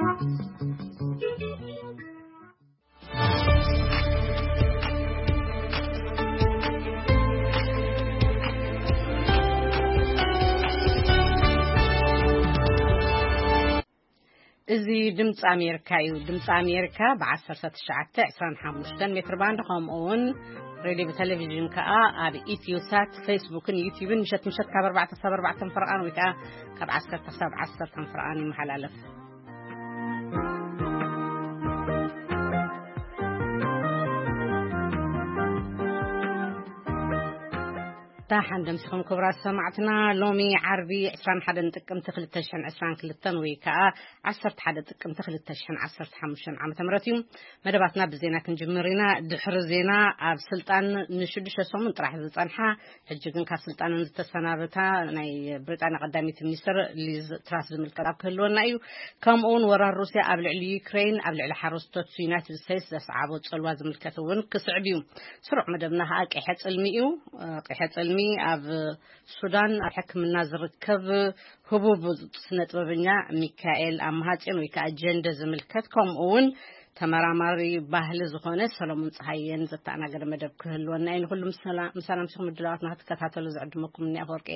እዚ ድምፂ ኣሜሪካ እዩ። ድምፂ ኣሜሪካ ብ1925 ሜትር ባንድ፣ ከምኡ እውን ሬድዮ ብቴሌቪዥን ከዓ ኣብ ኢትዮ ሳት፣ ፌስቡክን ዩቲዩብን ምሸት ምሸት ካብ ኣርባዕተ ክሳብ ኣርባዕተ ፍርቓን ወይ ከዓ ካብ ዓሰርተ ክሳብ ዓሰርተ ፍርቓን ይመሓላለፍ። ደሓን ደምሲኹም ክቡራት ሰማዕትና። ሎሚ ዓርቢ ዕስራን ሓደን ጥቅምቲ ክልተ ሽሕን ዕስራን ክልተን ወይ ከዓ ዓሰርተ ሓደ ጥቅምቲ ክልተ ሽሕን ዓሰርተ ሓሙሽተን ዓመተ ምህረት እዩ። መደባትና ብዜና ክንጅምር ኢና። ድሕሪ ዜና፣ ኣብ ስልጣን ንሽዱሽተ ሰሙን ጥራሕ ዝጸንሓ፣ ሕጂ ግን ካብ ስልጣነን ዝተሰናበታ ናይ ብሪጣንያ ቀዳሚት ሚኒስትር ሊዝ ትራስ ዝምልከት ኣብ ክህልወና እዩ። ከምኡ እውን ወራር ሩስያ ኣብ ልዕሊ ዩክሬን፣ ኣብ ልዕሊ ሓረስቶት ዩናይትድ ስቴትስ ዘስዓቦ ጽልዋ ዝምልከት እውን ክስዕብ እዩ። ስሩዕ መደብና ከዓ ቂሐ ጽልሚ እዩ። ቂሐ ጽልሚ ኣብ ሱዳን ኣብ ሕክምና ዝርከብ ህቡብ ስነ ጥበበኛ ሚካኤል ኣማሃጽዮን ወይ ከዓ ጀንደ ዝምልከት፣ ከምኡ እውን ተመራማሪ ባህሊ ዝኾነ ሰሎሞን ፀሃየን ዘተኣናገደ መደብ ክህልወና እዩ። ንኩሉ ምሳና፣ ምሳና ምሲኹም ምድላዋትና ክትከታተሉ ዝዕድመኩም እኒ ኣፈወርቂ።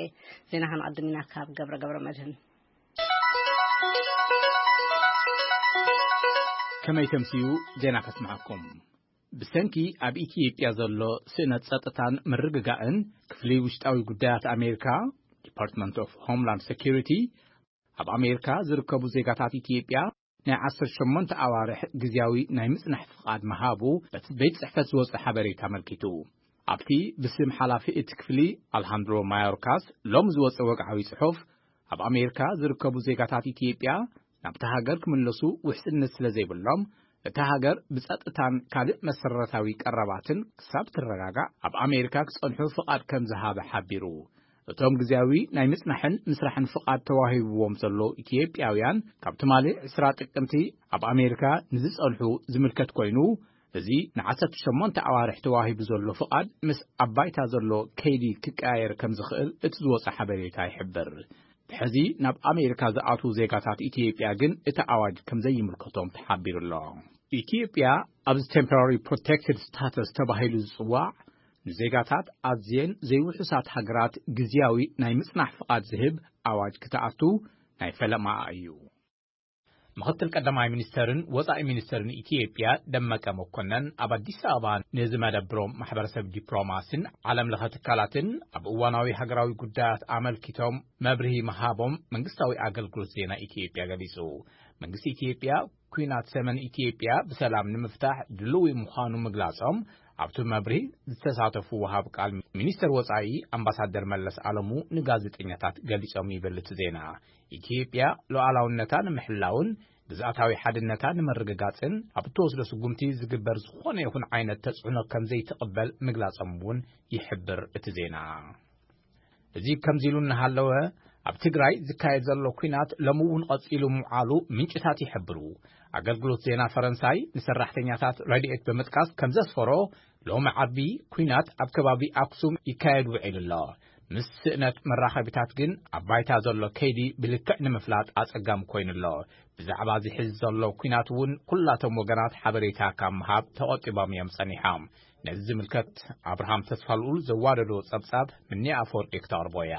ዜና ክንቐድም ኢና ካብ ገብረ ገብረ መድህን። ከመይ ተምስዩ ዜና ከስምዓኩም። ብሰንኪ ኣብ ኢትዮጵያ ዘሎ ስእነት ጸጥታን ምርግጋእን፣ ክፍሊ ውሽጣዊ ጉዳያት ኣሜሪካ፣ ዲፓርትመንት ኦፍ ሆምላንድ ሴኩሪቲ፣ ኣብ ኣሜሪካ ዝርከቡ ዜጋታት ኢትዮጵያ ናይ ዓሰርተ ሸሞንተ ኣዋርሕ ግዝያዊ ናይ ምጽናሕ ፍቓድ ምሃቡ በቲ ቤት ጽሕፈት ዝወጸ ሓበሬታ ኣመልኪቱ። ኣብቲ ብስም ሓላፊ እቲ ክፍሊ ኣልሃንድሮ ማዮርካስ ሎም ዝወጸ ወግዓዊ ጽሑፍ፣ ኣብ ኣሜሪካ ዝርከቡ ዜጋታት ኢትዮጵያ ናብቲ ሃገር ክምለሱ ውሕስነት ስለ ዘይብሎም፣ እታ ሃገር ብጸጥታን ካልእ መሰረታዊ ቀረባትን ክሳብ ትረጋጋእ ኣብ ኣሜሪካ ክጸንሑ ፍቓድ ከም ዝሃበ ሓቢሩ። እቶም ግዜያዊ ናይ ምጽናሕን ምስራሕን ፍቓድ ተዋሂብዎም ዘለዉ ኢትዮጵያውያን፣ ካብ ትማሊ ዕስራ ጥቅምቲ ኣብ ኣሜሪካ ንዝጸንሑ ዝምልከት ኮይኑ፣ እዚ ንዓሰርተ ሸሞንተ ኣዋርሕ ተዋሂቡ ዘሎ ፍቓድ ምስ ኣብ ባይታ ዘሎ ከይዲ ክቀያየር ከም ዝኽእል እቲ ዝወጸ ሓበሬታ ይሕብር። ብሕዚ ናብ ኣሜሪካ ዝኣትዉ ዜጋታት ኢትዮጵያ ግን እቲ ኣዋጅ ከም ዘይምልከቶም ተሓቢሩ ኣሎ። ኢትዮጵያ ኣብዚ ቴምፖራሪ ፕሮቴክትድ ስታተስ ተባሂሉ ዝጽዋዕ፣ ንዜጋታት ኣዝየን ዘይውሑሳት ሃገራት ግዝያዊ ናይ ምጽናሕ ፍቓድ ዝህብ ኣዋጅ ክትኣቱ ናይ ፈለማኣ እዩ። ምኽትል ቀዳማይ ሚኒስተርን ወጻኢ ሚኒስተርን ኢትዮጵያ ደመቀ መኮነን ኣብ ኣዲስ ኣበባ ንዝመደብሮም ማሕበረሰብ ዲፕሎማሲን ዓለም ለኸ ትካላትን ኣብ እዋናዊ ሃገራዊ ጉዳያት ኣመልኪቶም መብርሂ ምሃቦም መንግስታዊ ኣገልግሎት ዜና ኢትዮጵያ ገሊጹ። መንግስቲ ኢትዮጵያ ኲናት ሰሜን ኢትዮጵያ ብሰላም ንምፍታሕ ድልዊ ምዃኑ ምግላጾም ኣብቲ መብርሂ ዝተሳተፉ ወሃብ ቃል ሚኒስተር ወጻኢ ኣምባሳደር መለስ ኣለሙ ንጋዜጠኛታት ገሊጾም ይብል እቲ ዜና። ኢትዮጵያ ሉዓላውነታ ንምሕላውን ግዝኣታዊ ሓድነታ ንምርግጋጽን ኣብ እትወስዶ ስጉምቲ ዝግበር ዝኾነ ይኹን ዓይነት ተጽዕኖ ከም ዘይትቕበል ምግላጾም እውን ይሕብር እቲ ዜና። እዚ ከምዚ ኢሉ እናሃለወ፣ ኣብ ትግራይ ዝካየድ ዘሎ ኲናት ሎሚ እውን ቀጺሉ ምውዓሉ ምንጭታት ይሕብሩ። ኣገልግሎት ዜና ፈረንሳይ ንሰራሕተኛታት ረድኤት ብምጥቃስ ከም ዘስፈሮ፣ ሎሚ ዓርቢ ኲናት ኣብ ከባቢ ኣክሱም ይካየድ ውዒሉ ኣሎ። ምስ ስእነት መራኸቢታት ግን ኣብ ባይታ ዘሎ ከይዲ ብልክዕ ንምፍላጥ ኣጸጋሚ ኮይኑ ኣሎ። ብዛዕባ እዚ ሕዚ ዘሎ ኲናት እውን ኩላቶም ወገናት ሓበሬታ ካብ ምሃብ ተቖጢቦም እዮም ጸኒሖም። ነዚ ዝምልከት ኣብርሃም ተስፋልኡል ዘዋደዶ ጸብጻብ ምኒ ኣፈወርቂ ክተቕርቦ እያ።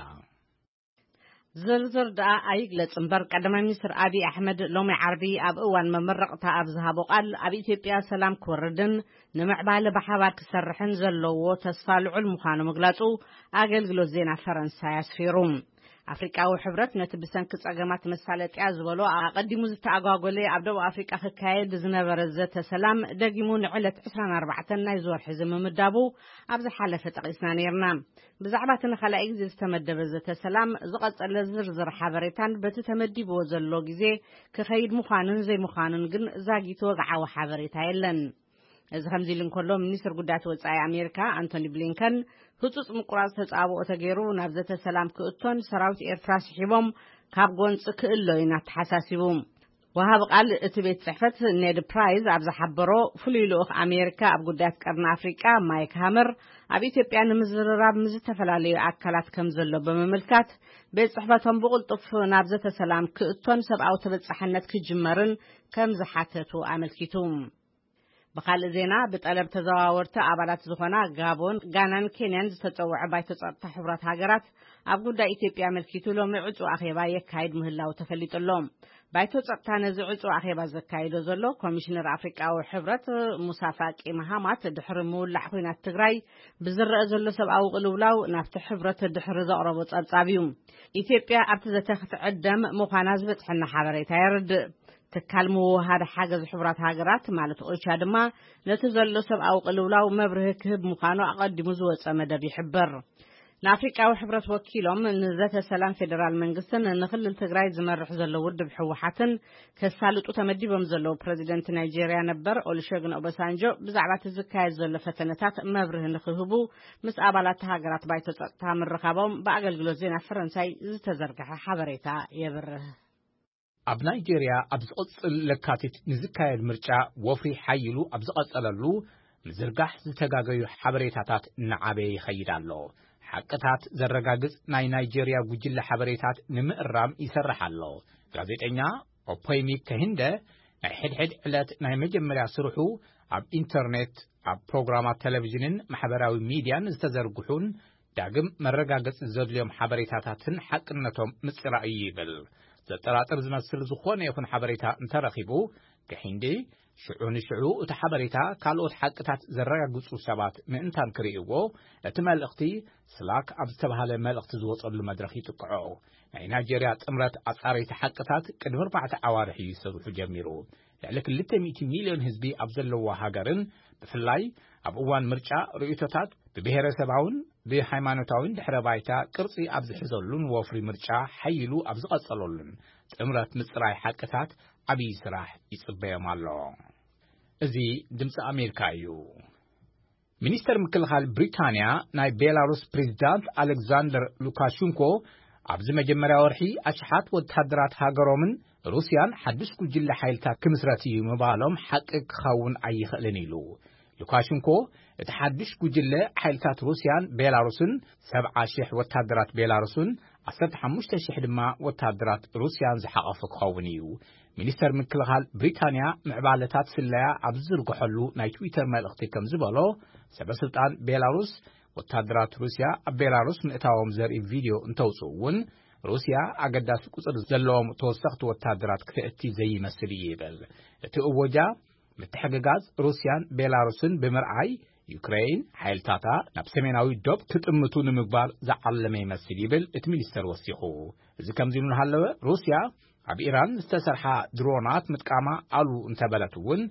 ዝርዝር ደኣ ኣይግለጽ እምበር፣ ቀዳማይ ሚኒስትር ኣብይ ኣሕመድ ሎሚ ዓርቢ ኣብ እዋን መመረቕታ ኣብ ዝሃቦ ቃል፣ ኣብ ኢትዮጵያ ሰላም ክወርድን ንምዕባለ ብሓባር ክሰርሕን ዘለዎ ተስፋ ልዑል ምዃኑ ምግላጹ ኣገልግሎት ዜና ፈረንሳይ ኣስፊሩ። ኣፍሪቃዊ ሕብረት ነቲ ብሰንኪ ጸገማት መሳለጥያ ዝበሎ ኣቐዲሙ ዝተኣጓጎለ ኣብ ደቡብ ኣፍሪቃ ክካየድ ዝነበረ ዘተ ሰላም ደጊሙ ንዕለት ዕስራን ኣርባዕተን ናይዚ ወርሒ እዚ ምምዳቡ ኣብ ዝሓለፈ ጠቒስና ነይርና። ብዛዕባ እቲ ንኻልኣይ ግዜ ዝተመደበ ዘተ ሰላም ዝቐጸለ ዝርዝር ሓበሬታን በቲ ተመዲብዎ ዘሎ ግዜ ክኸይድ ምዃኑን ዘይምዃኑን ግን ዛጊት ወግዓዊ ሓበሬታ የለን። እዚ ከምዚ ኢሉ እንከሎ፣ ሚኒስትር ጉዳያት ወጻኢ ኣሜሪካ ኣንቶኒ ብሊንከን ህጹጽ ምቁራጽ ተጻብኦ ተገይሩ ናብ ዘተ ሰላም ክእቶን ሰራዊት ኤርትራ ስሒቦም ካብ ጎንጺ ክእሎዩን ኣተሓሳሲቡ። ወሃቢ ቃል እቲ ቤት ጽሕፈት ኔድ ፕራይዝ ኣብ ዝሓበሮ፣ ፍሉይ ልኡኽ ኣሜሪካ ኣብ ጉዳያት ቀርኒ ኣፍሪቃ ማይክ ሃመር ኣብ ኢትዮጵያ ንምዝርራብ ምስ ዝተፈላለዩ ኣካላት ከም ዘሎ ብምምልካት፣ ቤት ጽሕፈቶም ብቕልጡፍ ናብ ዘተ ሰላም ክእቶን ሰብኣዊ ተበጻሕነት ክጅመርን ከም ዝሓተቱ ኣመልኪቱ። ብኻልእ ዜና፣ ብጠለብ ተዘዋወርቲ ኣባላት ዝኾና ጋቦን፣ ጋናን ኬንያን ዝተጸውዐ ባይቶ ጸጥታ ሕቡራት ሃገራት ኣብ ጉዳይ ኢትዮጵያ ኣመልኪቱ ሎሚ ዕጹ ኣኼባ የካይድ ምህላው ተፈሊጡ ኣሎ። ባይቶ ጸጥታ ነዚ ዕጹ ኣኼባ ዘካይዶ ዘሎ፣ ኮሚሽነር ኣፍሪቃዊ ሕብረት ሙሳ ፋቂ መሃማት ድሕሪ ምውላዕ ኲናት ትግራይ ብዝረአ ዘሎ ሰብኣዊ ቅልውላው ናብቲ ሕብረት ድሕሪ ዘቕረቦ ጸብጻብ እዩ። ኢትዮጵያ ኣብቲ ዘተ ክትዕደም ምዃና ዝበጽሐና ሓበሬታ የርድእ። ትካል ምውሃድ ሓገዝ ሕቡራት ሃገራት ማለት ኦቻ ድማ ነቲ ዘሎ ሰብኣዊ ቅልውላው መብርሂ ክህብ ምዃኑ ኣቐዲሙ ዝወጸ መደብ ይሕብር። ንኣፍሪቃዊ ሕብረት ወኪሎም ንዘተ ሰላም ፌደራል መንግስትን ንክልል ትግራይ ዝመርሕ ዘሎ ውድብ ህወሓትን ከሳልጡ ተመዲቦም ዘለዉ ፕረዚደንት ናይጄርያ ነበር ኦሉሸግን ኦባሳንጆ ብዛዕባ እቲ ዝካየድ ዘሎ ፈተነታት መብርሂ ንክህቡ ምስ ኣባላት ሃገራት ባይቶ ጸጥታ ምርኻቦም ብኣገልግሎት ዜና ፈረንሳይ ዝተዘርግሐ ሓበሬታ የብርህ። ኣብ ናይጄርያ ኣብ ዝቕጽል ለካቲት ንዝካየድ ምርጫ ወፍሪ ሓይሉ ኣብ ዝቐጸለሉ፣ ምዝርጋሕ ዝተጋገዩ ሓበሬታታት እናዓበየ ይኸይድ ኣሎ። ሓቅታት ዘረጋግጽ ናይ ናይጄርያ ጉጅለ ሓበሬታት ንምእራም ይሰርሕ ኣሎ። ጋዜጠኛ ኦፖይሚ ከሂንደ ናይ ሕድሕድ ዕለት ናይ መጀመርያ ስርሑ ኣብ ኢንተርኔት፣ ኣብ ፕሮግራማት ቴሌቪዥንን ማሕበራዊ ሚድያን ዝተዘርግሑን ዳግም መረጋገጺ ዘድልዮም ሓበሬታታትን ሓቅነቶም ምጽራይ እዩ ይብል። ዘጠራጥር ዝመስል ዝኾነ ይኹን ሓበሬታ እንተረኺቡ፣ ከሂንዲ ሽዑ ንሽዑ እቲ ሓበሬታ ካልኦት ሓቅታት ዘረጋግጹ ሰባት ምእንታን ክርእይዎ፣ እቲ መልእኽቲ ስላክ ኣብ ዝተባህለ መልእኽቲ ዝወጸሉ መድረኽ ይጥቅዖ። ናይ ናይጄርያ ጥምረት ኣጻረይቲ ሓቅታት ቅድሚ ኣርባዕተ ኣዋርሕ እዩ ዝሰርሑ ጀሚሩ። ልዕሊ ክልተ ሚእቲ ሚልዮን ህዝቢ ኣብ ዘለዎ ሃገርን ብፍላይ ኣብ እዋን ምርጫ ርእይቶታት ብብሔረሰባውን ብሃይማኖታውን ድሕረ ባይታ ቅርጺ ኣብ ዝሕዘሉን ወፍሪ ምርጫ ሓይሉ ኣብ ዝቐጸለሉን ጥምረት ምጽራይ ሓቅታት ዓብዪ ስራሕ ይጽበዮም ኣሎ። እዚ ድምፂ ኣሜሪካ እዩ። ሚኒስተር ምክልኻል ብሪታንያ ናይ ቤላሩስ ፕሬዚዳንት ኣሌክዛንደር ሉካሽንኮ ኣብዚ መጀመርያ ወርሒ ኣሽሓት ወታደራት ሃገሮምን ሩስያን ሓድሽ ጉጅለ ሓይልታት ክምስረት እዩ ምባሎም ሓቂ ክኸውን ኣይኽእልን ኢሉ። ሉካሽንኮ እቲ ሓድሽ ጉጅለ ሓይልታት ሩስያን ቤላሩስን ሰብዓ ሽሕ ወታደራት ቤላሩስን ዓሰርተ ሓሙሽተ ሽሕ ድማ ወታደራት ሩስያን ዝሓቐፈ ክኸውን እዩ። ሚኒስተር ምክልኻል ብሪታንያ ምዕባለታት ስለያ ኣብ ዝዝርግሐሉ ናይ ትዊተር መልእኽቲ ከም ዝበሎ፣ ሰበ ስልጣን ቤላሩስ ወታደራት ሩስያ ኣብ ቤላሩስ ምእታዎም ዘርኢ ቪድዮ እንተውፅኡ እውን ሩስያ ኣገዳሲ ቁፅሪ ዘለዎም ተወሰኽቲ ወታደራት ክተእቲ ዘይመስል እዩ ይብል። እቲ እወጃ ምትሕግጋዝ ሩስያን ቤላሩስን ብምርኣይ ዩክሬን ሓይልታታ ናብ ሰሜናዊ ዶብ ክጥምቱ ንምግባር ዝዓለመ ይመስል ይብል እቲ ሚኒስተር ወሲኹ። እዚ ከምዚ እናሃለወ ሩስያ ኣብ ኢራን ዝተሰርሓ ድሮናት ምጥቃማ ኣሉ እንተበለት እውን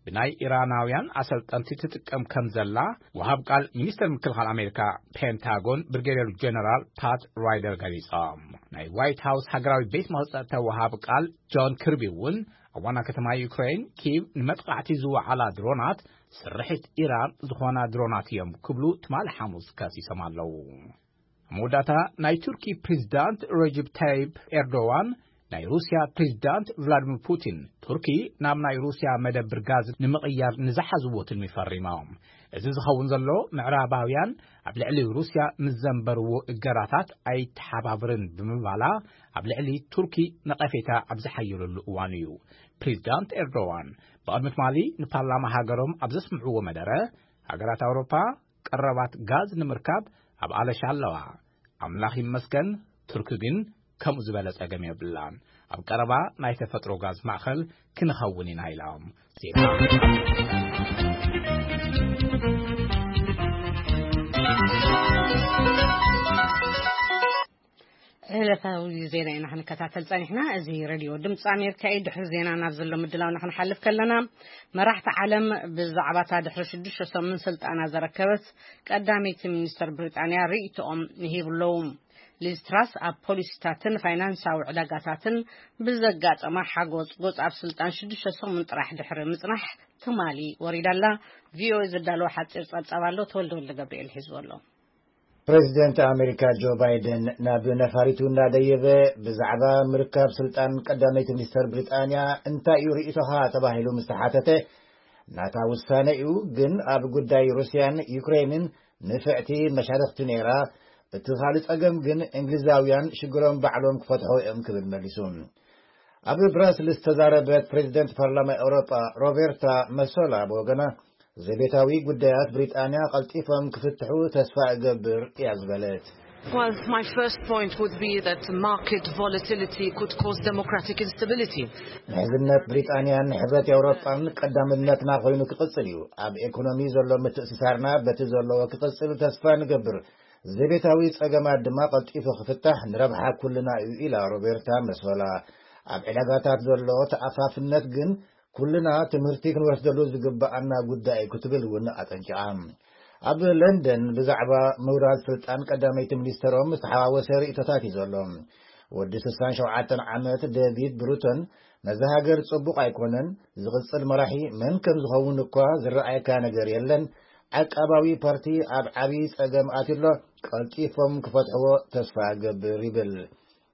ብናይ ኢራናውያን ኣሰልጠንቲ ትጥቀም ከም ዘላ ወሃብ ቃል ሚኒስተር ምክልኻል ኣሜሪካ ፔንታጎን ብሪጌዲየር ጀነራል ፓት ራይደር ገሊጾም። ናይ ዋይት ሃውስ ሃገራዊ ቤት መኽጸጥታ ወሃብ ቃል ጆን ክርቢ እውን ኣብ ዋና ከተማ ዩክሬን ኪቭ ንመጥቃዕቲ ዝወዓላ ድሮናት ስርሒት ኢራን ዝኾና ድሮናት እዮም ክብሉ ትማሊ ሓሙስ ከሲሶም ኣለዉ። ኣብ መወዳእታ ናይ ቱርኪ ፕሬዚዳንት ረጀብ ታይብ ኤርዶዋን ናይ ሩስያ ፕሬዚዳንት ቭላዲሚር ፑቲን ቱርኪ ናብ ናይ ሩስያ መደብር ጋዝ ንምቕያር ንዝሓዝዎ ትልሚ ፈሪሞም። እዚ ዝኸውን ዘሎ ምዕራባውያን ኣብ ልዕሊ ሩስያ ምስ ዘንበርዎ እገራታት ኣይተሓባብርን ብምባላ ኣብ ልዕሊ ቱርኪ ነቐፌታ ኣብ ዝሓየለሉ እዋን እዩ። ፕሬዚዳንት ኤርዶዋን ብቕድሚ ትማሊ ንፓርላማ ሃገሮም ኣብ ዘስምዕዎ መደረ፣ ሃገራት ኣውሮፓ ቀረባት ጋዝ ንምርካብ ኣብ ኣለሻ ኣለዋ። ኣምላኽ ይመስገን፣ ቱርኪ ግን ከምኡ ዝበለ ጸገም የብላን። ኣብ ቀረባ ናይ ተፈጥሮ ጋዝ ማእኸል ክንኸውን ኢና ኢሎም። ዜና ዕለታዊ ዜና ኢና ክንከታተል ጸኒሕና። እዚ ሬድዮ ድምፂ ኣሜሪካ እዩ። ድሕሪ ዜና ናብ ዘሎ ምድላውና ክንሓልፍ ከለና፣ መራሕቲ ዓለም ብዛዕባታ ድሕሪ ሽዱሽተ ሰሙን ስልጣና ዘረከበት ቀዳመይቲ ሚኒስተር ብሪጣንያ ርእይቶኦም ይሂቡ ኣለዉ። ሊዝ ትራስ ኣብ ፖሊሲታትን ፋይናንሳዊ ዕዳጋታትን ብዘጋጠማ ሓጎጽጎጽ ኣብ ስልጣን ሽዱሽተ ሰሙን ጥራሕ ድሕሪ ምጽናሕ ትማሊ ወሪዳ ኣላ። ቪኦኤ ዘዳለወ ሓጺር ጸብጻብ ኣሎ፣ ተወልደ ወልደ ገብርኤል ሒዝዎ ኣሎ። ፕሬዚደንት ኣሜሪካ ጆ ባይደን ናብ ነፋሪቱ እናደየበ ብዛዕባ ምርካብ ስልጣን ቀዳመይቲ ሚኒስተር ብሪጣንያ እንታይ እዩ ርእይቶኻ ተባሂሉ ምስ ተሓተተ፣ ናታ ውሳነ እዩ፣ ግን ኣብ ጉዳይ ሩስያን ዩክሬንን ንፍዕቲ መሻርኽቲ ነይራ፣ እቲ ካልእ ጸገም ግን እንግሊዛውያን ሽግሮም ባዕሎም ክፈትሖ እዮም ክብል መሊሱ። ኣብ ብራስልስ ዝተዛረበት ፕሬዚደንት ፓርላማ ኤውሮጳ ሮቤርታ መሶላ ብወገና፣ ዘቤታዊ ጉዳያት ብሪጣንያ ቀልጢፎም ክፍትሑ ተስፋ እገብር እያ ዝበለት። Well, my first point would be that market volatility could cause democratic instability. ምሕዝነት ብሪጣንያን ሕብረት ኤውሮጳን ቀዳምነትና ኮይኑ ክቕጽል እዩ። ኣብ ኤኮኖሚ ዘሎ ምትእስሳርና በቲ ዘለዎ ክቕጽል ተስፋ ንገብር። ዘቤታዊ ጸገማት ድማ ቀልጢፉ ክፍታሕ ንረብሓ ኩልና እዩ፣ ኢላ ሮቤርታ መሶላ። ኣብ ዕዳጋታት ዘሎ ተኣፋፍነት ግን ኩልና ትምህርቲ ክንወስደሉ ዝግብኣና ጉዳይ እዩ ክትብል እውን ኣጠንቂቓ። ኣብ ለንደን ብዛዕባ ምውራድ ስልጣን ቀዳመይቲ ሚኒስተሮም ዝተሓዋወሰ ርእይቶታት እዩ ዘሎ። ወዲ ስሳን ሸውዓተን ዓመት ዴቪድ ብሩቶን፣ ነዚ ሃገር ጽቡቕ ኣይኮነን፣ ዝቕጽል መራሒ መን ከም ዝኸውን እኳ ዝረኣየካ ነገር የለን፣ ዓቃባዊ ፓርቲ ኣብ ዓቢ ጸገም ኣትዩ ኣሎ፣ ቀልጢፎም ክፈትሕዎ ተስፋ እገብር ይብል።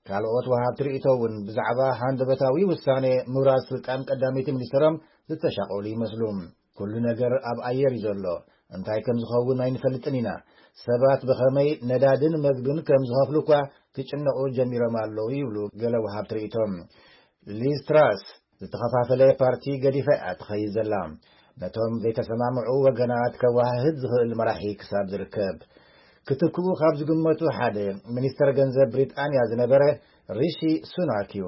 ካልኦት ወሃብቲ ርእይቶ እውን ብዛዕባ ሃንደበታዊ ውሳኔ ምውራድ ስልጣን ቀዳመይቲ ሚኒስተሮም ዝተሻቐሉ ይመስሉ። ኩሉ ነገር ኣብ ኣየር እዩ ዘሎ፣ እንታይ ከም ዝኸውን ኣይንፈልጥን ኢና። ሰባት ብኸመይ ነዳድን መግብን ከም ዝኸፍሉ እኳ ክጭነቑ ጀሚሮም ኣለዉ ይብሉ ገለ ወሃብቲ ርእይቶ። ሊዝ ትራስ ዝተኸፋፈለ ፓርቲ ገዲፋ እያ ትኸይድ ዘላ። ነቶም ዘይተሰማምዑ ወገናት ከወሃህድ ዝኽእል መራሒ ክሳብ ዝርከብ። ክትክኡ ካብ ዝግመቱ ሓደ ሚኒስተር ገንዘብ ብሪጣንያ ዝነበረ ሪሺ ሱናክ እዩ።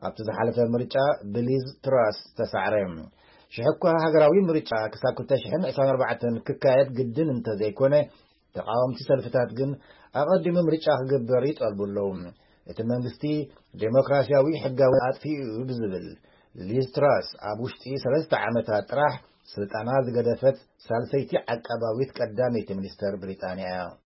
ኣብቲ ዝሓለፈ ምርጫ ብሊዝ ትራስ ተሳዕረ። ሽሕኳ ሃገራዊ ምርጫ ክሳብ ክልተ ሽሕን ዕስራን ኣርባዕተን ክካየድ ግድን እንተዘይኮነ፣ ተቓወምቲ ሰልፍታት ግን ኣቐዲሙ ምርጫ ክግበር ይጠልቡ ኣለዉ። እቲ መንግስቲ ዴሞክራሲያዊ ሕጋዊ ኣጥፊኡ እዩ ብዝብል፣ ሊዝ ትራስ ኣብ ውሽጢ ሰለስተ ዓመታት ጥራሕ ስልጣና ዝገደፈት ሳልሰይቲ ዓቃባዊት ቀዳመይቲ ሚኒስተር ብሪጣንያ እያ። ኣብ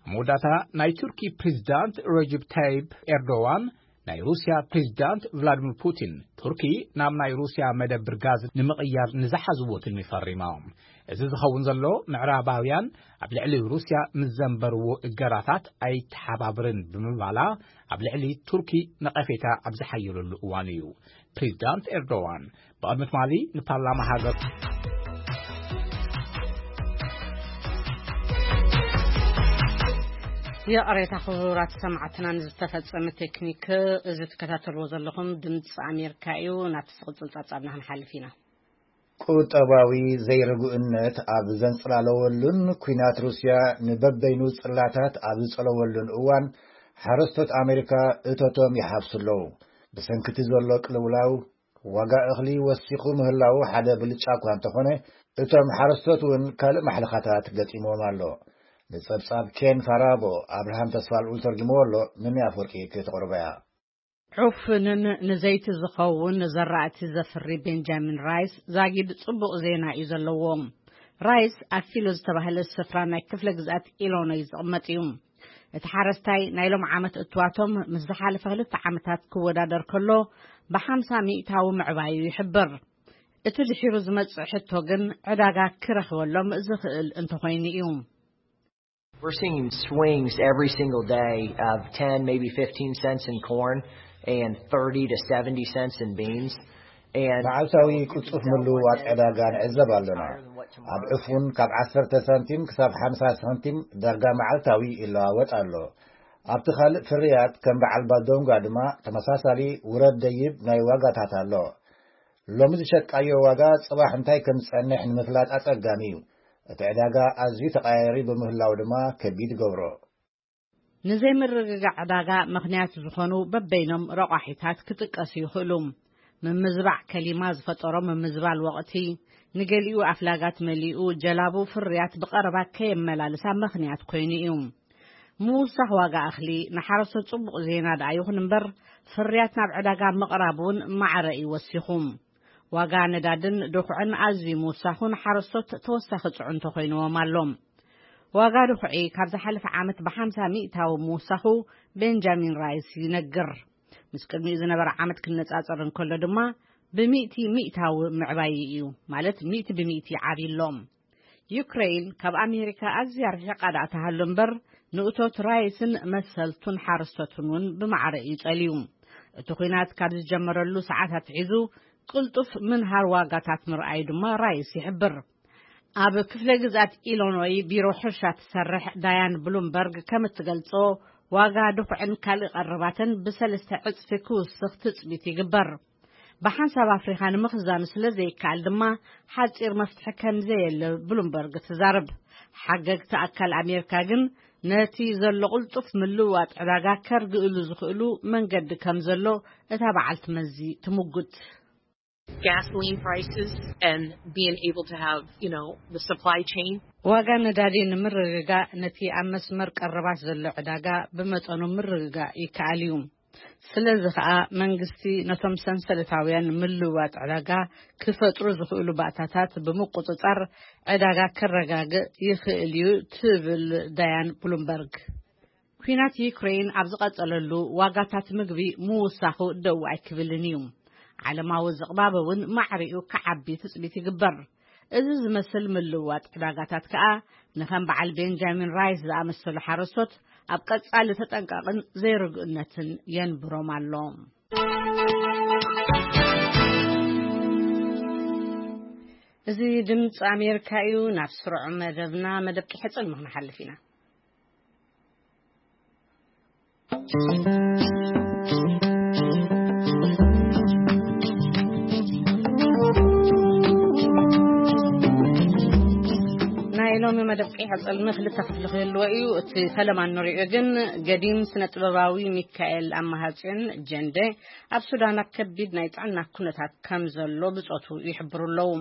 መወዳእታ፣ ናይ ቱርኪ ፕሬዚዳንት ረጀብ ታይብ ኤርዶዋን ናይ ሩስያ ፕሬዚዳንት ቭላድሚር ፑቲን፣ ቱርኪ ናብ ናይ ሩስያ መደብር ጋዝ ንምቕያር ንዝሓዝዎ ትልሚ ፈሪሞም። እዚ ዝኸውን ዘሎ፣ ምዕራባውያን ኣብ ልዕሊ ሩስያ ምስ ዘንበርዎ እገዳታት ኣይተሓባብርን ብምባላ፣ ኣብ ልዕሊ ቱርኪ ነቐፌታ ኣብ ዝሓየለሉ እዋን እዩ። ፕሬዚዳንት ኤርዶዋን ብቕድሚ ትማሊ ንፓርላማ ሃገር ይቕሬታ ክቡራት ሰማዕትና ንዝተፈጸመ ቴክኒክ። እዚ ትከታተልዎ ዘለኹም ድምፂ ኣሜሪካ እዩ። ናብቲ ዝቕፅል ጸብጻብና ክንሓልፍ ኢና። ቁጠባዊ ዘይርጉእነት ኣብ ዘንጽላለወሉን ኲናት ሩስያ ንበበይኑ ጽላታት ኣብ ዝጸለወሉን እዋን፣ ሓረስቶት ኣሜሪካ እቶቶም ይሓፍሱ ኣለዉ። ብሰንኪ እቲ ዘሎ ቅልውላው፣ ዋጋ እኽሊ ወሲኹ ምህላዉ ሓደ ብልጫ እኳ እንተኾነ፣ እቶም ሓረስቶት እውን ካልእ ማሕለኻታት ገጢምዎም ኣሎ። ንጸብጻብ ኬን ፋራቦ፣ ኣብርሃም ተስፋልኡል ተርጉምዎ ኣሎ፣ ምንያ ኣፍወርቂ ክተቕርቦ እያ። ዑፍንን ንዘይቲ ዝኸውን ዘራእቲ ዘፍሪ ቤንጃሚን ራይስ ዛጊድ ጽቡቕ ዜና እዩ ዘለዎ። ራይስ ኣብ ፊሎ ዝተባህለ ስፍራ ናይ ክፍለ ግዝኣት ኢሎኖይ ዝቕመጥ እዩ። እቲ ሓረስታይ ናይ ሎም ዓመት እትዋቶም ምስ ዝሓለፈ ክልተ ዓመታት ክወዳደር ከሎ ብሓምሳ ሚእታዊ ምዕባዩ ይሕብር። እቲ ድሒሩ ዝመጽእ ሕቶ ግን ዕዳጋ ክረኽበሎም ዝኽእል እንተኾይኑ እዩ። We're seeing swings every single day of ten, maybe fifteen cents in corn and thirty to seventy cents in beans. And መዓልታዊ ቅልጡፍ ምልውዋጥ ዕዳጋ ንዕዘብ ኣለና። ኣብ ዕፉን ካብ ዓሰርተ ሳንቲም ክሳብ ሓምሳ ሳንቲም ዳርጋ መዓልታዊ ይለዋወጥ ኣሎ። ኣብቲ ካልእ ፍርያት ከም በዓል ባዶንጓ ድማ ተመሳሳሊ ውረድ ደይብ ናይ ዋጋታት ኣሎ። ሎሚ ዝሸጥካዮ ዋጋ ጽባሕ እንታይ ከም ዝጸንሕ ንምፍላጥ ኣጸጋሚ እዩ። እቲ ዕዳጋ ኣዝዩ ተቐያያሪ ብምህላው ድማ ከቢድ ይገብሮ። ንዘይምርግጋዕ ዕዳጋ ምኽንያት ዝኾኑ በበይኖም ረቋሒታት ክጥቀሱ ይኽእሉ። ምምዝባዕ ከሊማ ዝፈጠሮ ምምዝባል ወቕቲ፣ ንገሊኡ ኣፍላጋት መሊኡ ጀላቡ ፍርያት ብቐረባ ከየመላልሳ ምኽንያት ኮይኑ እዩ። ምውሳኽ ዋጋ እኽሊ ንሓረስቶት ጽቡቕ ዜና ደኣ ይኹን እምበር፣ ፍርያት ናብ ዕዳጋ ምቕራብ እውን ማዕረ እዩ ወሲኹ። ዋጋ ነዳድን ድኹዕን ኣዝዩ ምውሳኹ ንሓረስቶት ተወሳኺ ጽዕንቶ ኮይንዎም ኣሎ። ዋጋ ድኹዒ ካብ ዝሓለፈ ዓመት ብሓምሳ ሚእታዊ ምውሳኹ ቤንጃሚን ራይስ ይነግር። ምስ ቅድሚኡ ዝነበረ ዓመት ክነጻጸር እንከሎ ድማ ብሚእቲ ሚእታዊ ምዕባይ እዩ፣ ማለት ሚእቲ ብሚእቲ ዓብዩ ኣሎ። ዩክሬን ካብ ኣሜሪካ ኣዝያ ርሒቓ ደኣ ትሃሉ እምበር፣ ንእቶት ራይስን መሰልቱን ሓረስቶትን እውን ብማዕረ እዩ ጸልዩ። እቲ ኲናት ካብ ዝጀመረሉ ሰዓታት ሒዙ፣ ቅልጡፍ ምንሃር ዋጋታት ምርኣዩ ድማ ራይስ ይሕብር። ኣብ ክፍለ ግዝኣት ኢሎኖይ ቢሮ ሕርሻ ትሰርሕ ዳያን ብሉምበርግ ከም እትገልጾ፣ ዋጋ ድኹዕን ካልእ ቀረባትን ብሰለስተ ዕጽፊ ክውስኽ ትጽቢት ይግበር። ብሓንሳብ ኣፍሪኻ ንምኽዛኑ ስለ ዘይከኣል ድማ፣ ሓጺር መፍትሒ ከም ዘየለ ብሉምበርግ ትዛረብ። ሓገግቲ ኣካል ኣሜሪካ ግን፣ ነቲ ዘሎ ቅልጡፍ ምልውዋጥ ዕዳጋ ከርግእሉ ዝኽእሉ መንገዲ ከም ዘሎ እታ በዓልቲ መዚ ትምጉት። Gasoline prices and being able to have, you know, the supply chain. ዋጋ ነዳዲ ንምርግጋእ፣ ነቲ ኣብ መስመር ቀረባት ዘሎ ዕዳጋ ብመጠኑ ምርግጋእ ይከኣል እዩ። ስለዚ ኸኣ፣ መንግስቲ ነቶም ሰንሰለታውያን ምልውዋጥ ዕዳጋ ክፈጥሩ ዝኽእሉ ባእታታት ብምቁጽጻር፣ ዕዳጋ ከረጋግእ ይኽእል እዩ፣ ትብል ዳያን ብሉምበርግ። ኲናት ዩክሬን ኣብ ዝቐጸለሉ፣ ዋጋታት ምግቢ ምውሳኹ ደው ኣይክብልን እዩ። ዓለማዊ ዝቕባበ እውን ማዕሪኡ ክዓቢ ትጽቢት ይግበር። እዚ ዝመስል ምልውዋጥ ዕዳጋታት ከኣ፣ ንኸም በዓል ቤንጃሚን ራይስ ዝኣመሰሉ ሓረስቶት፣ ኣብ ቀጻሊ ተጠንቀቕን ዘይርግእነትን የንብሮም ኣሎ። እዚ ድምፂ ኣሜሪካ እዩ። ናብ ስሩዕ መደብና፣ መደብ ቂሐ ጽልሚ ክንሓልፍ ኢና። ናይ ሎሚ መደብ ቂሐ ጽልሚ ክልተ ክፍሊ ክህልዎ እዩ። እቲ ፈለማ እንሪኦ ግን፣ ገዲም ስነ ጥበባዊ ሚካኤል ኣማሃጽዮን ጀንደ ኣብ ሱዳን ኣብ ከቢድ ናይ ጥዕና ኩነታት ከም ዘሎ ብጾቱ ይሕብሩ ኣለዉ።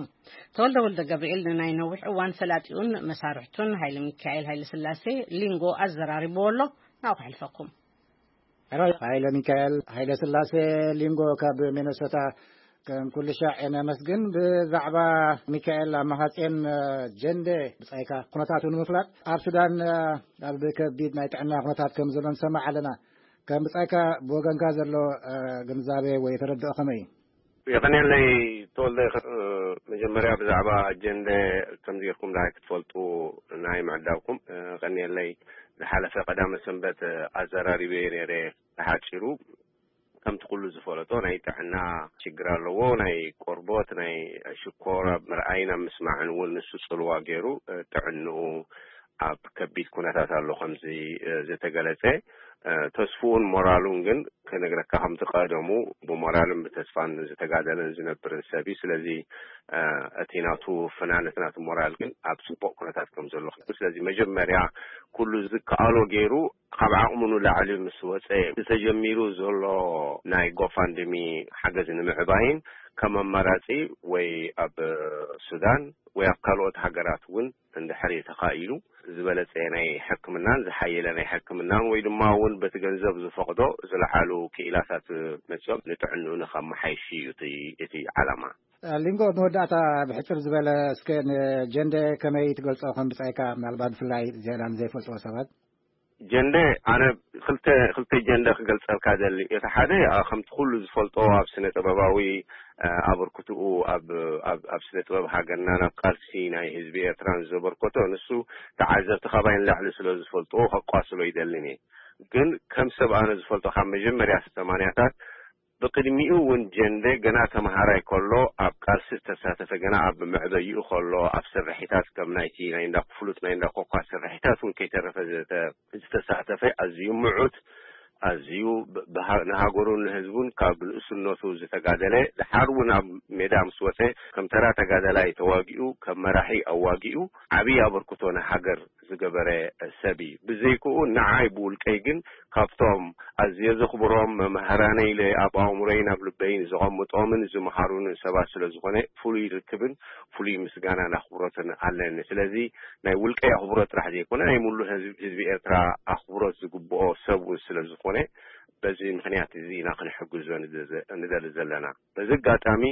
ተወልደ ወልደ ገብርኤል ንናይ ነዊሕ እዋን ፈላጢኡን መሳርሕቱን ሃይለ ሚካኤል ሃይለ ስላሴ ሊንጎ ኣዘራሪብዎ ኣሎ። ናብኡ ከሕልፈኩም። ሄሎ፣ ሃይለ ሚካኤል ሃይለ ስላሴ ሊንጎ ካብ ሚነሶታ፣ ከም ኩሉ ሻዕ ነመስግን። ብዛዕባ ሚካኤል ኣማሃጼን ጀንደ ብጻይካ ኩነታቱ ንምፍላጥ፣ ኣብ ሱዳን ኣብ ከቢድ ናይ ጥዕና ኩነታት ከም ዘሎ ንሰማዕ ኣለና። ከም ብጻይካ ብወገንካ ዘሎ ግንዛቤ ወይ ተረድኦ ከመይ እዩ? የቐንየለይ ተወልደ። መጀመርያ ብዛዕባ ጀንደ ከምዚ ጌርኩም ደሃይ ክትፈልጡ ናይ ምዕዳብኩም ቀንየለይ። ዝሓለፈ ቀዳመ ሰንበት ኣዘራሪበዮ ነይረ ብሓጺሩ። ከምቲ ኩሉ ዝፈለጦ ናይ ጥዕና ሽግር ኣለዎ። ናይ ቆርቦት፣ ናይ ሽኮር ኣብ ምርኣይን ኣብ ምስማዕን እውን ንሱ ጽልዋ ገይሩ፣ ጥዕንኡ ኣብ ከቢድ ኩነታት ኣሎ ከምዚ ዝተገለጸ። ተስፍኡን ሞራሉን ግን ክነግረካ ከምቲ ቀደሙ ብሞራልን ብተስፋን ዝተጋደለን ዝነብርን ሰብ እዩ። ስለዚ እቲ ናቱ ፍናን፣ እቲ ናቱ ሞራል ግን ኣብ ጽቡቕ ኩነታት ከም ዘሎ። ስለዚ መጀመርያ ኩሉ ዝከኣሎ ገይሩ ካብ ዓቕሙ ንላዕሊ ምስ ወጸ፣ ዝተጀሚሩ ዘሎ ናይ ጎፋንድሚ ሓገዝ ንምዕባይን ከም ኣማራጺ ወይ ኣብ ሱዳን ወይ ኣብ ካልኦት ሃገራት እውን እንድሕሪ ተኻኢሉ ዝበለጸ ናይ ሕክምናን ዝሓየለ ናይ ሕክምናን ወይ ድማ እውን በቲ ገንዘብ ዝፈቕዶ ዝለዓሉ ክኢላታት መጺኦም ንጥዕንኡ ንኸመሓይሽ እዩ እቲ፣ እቲ ዓላማ። ሊንጎ፣ መወዳእታ ብሕጽር ዝበለ እስከ ንጀንደ ከመይ ትገልጾ ከም ብጻይካ፣ ምናልባት ብፍላይ ዜና ንዘይፈልጥዎ ሰባት? ጀንደ፣ ኣነ ክልተ፣ ክልተ ጀንደ ክገልጸልካ ደሊ። እቲ ሓደ፣ ኣ፣ ከምቲ ኩሉ ዝፈልጦ ኣብ ስነ ጥበባዊ፣ ኣ፣ ኣበርክትኡ ኣብ፣ ኣብ፣ ኣብ ስነ ጥበብ ሃገርናን ኣብ ቃልሲ ናይ ህዝቢ ኤርትራን ዘበርከቶ፣ ንሱ ተዓዘብቲ ካባይ ንላዕሊ ስለ ዝፈልጥዎ ከቋስሎ ይደልን እየ። ግን ከም ሰብ ኣነ ዝፈልጦ ካብ መጀመርያ ሰማንያታት ብቅድሚኡ እውን ጀንደ ገና ተምሃራይ ከሎ ኣብ ቃልሲ ዝተሳተፈ፣ ገና ኣብ መዕበይኡ ከሎ ኣብ ስርሒታት ከም ናይቲ ናይ እንዳ ፍሉጥ ናይ እንዳ ኮኳ ስርሒታት እውን ከይተረፈ ዘተ-፣ ዝተሳተፈ ኣዝዩ ምዑት፣ ኣዝዩ ብ-፣ ብሃ-፣ ንሃገሩን ንህዝቡን ካብ ንእስነቱ ዝተጋደለ፣ ድሓር እውን ኣብ ሜዳ ምስ ወጸ ከም ተራ ተጋዳላይ ተዋጊኡ፣ ከም መራሒ ኣዋጊኡ ዓብዪ ኣበርክቶ ንሃገር ዝገበረ ሰብ እዩ። ብዘይክኡ ንዓይ ብውልቀይ ግን ካብቶም ኣዝየ ዘኽብሮም መምህራነይ ኢለ ኣብ ኣእምሮይን ኣብ ልበይን ዘቐምጦምን ዝመሃሩንን ሰባት ስለ ዝኾነ ፍሉይ ርክብን ፍሉይ ምስጋናን ኣኽብሮትን ኣለኒ። ስለዚ ናይ ውልቀይ ኣኽብሮት ጥራሕ ዘይኮነ ናይ ሙሉእ ህዝቢ፣ ህዝቢ ኤርትራ ኣኽብሮት ዝግብኦ ሰብ እውን ስለ ዝኾነ በዚ ምኽንያት እዚ ኢና ክንሕግዞ ንዘ-፣ ንደሊ ዘለና። በዚ ኣጋጣሚ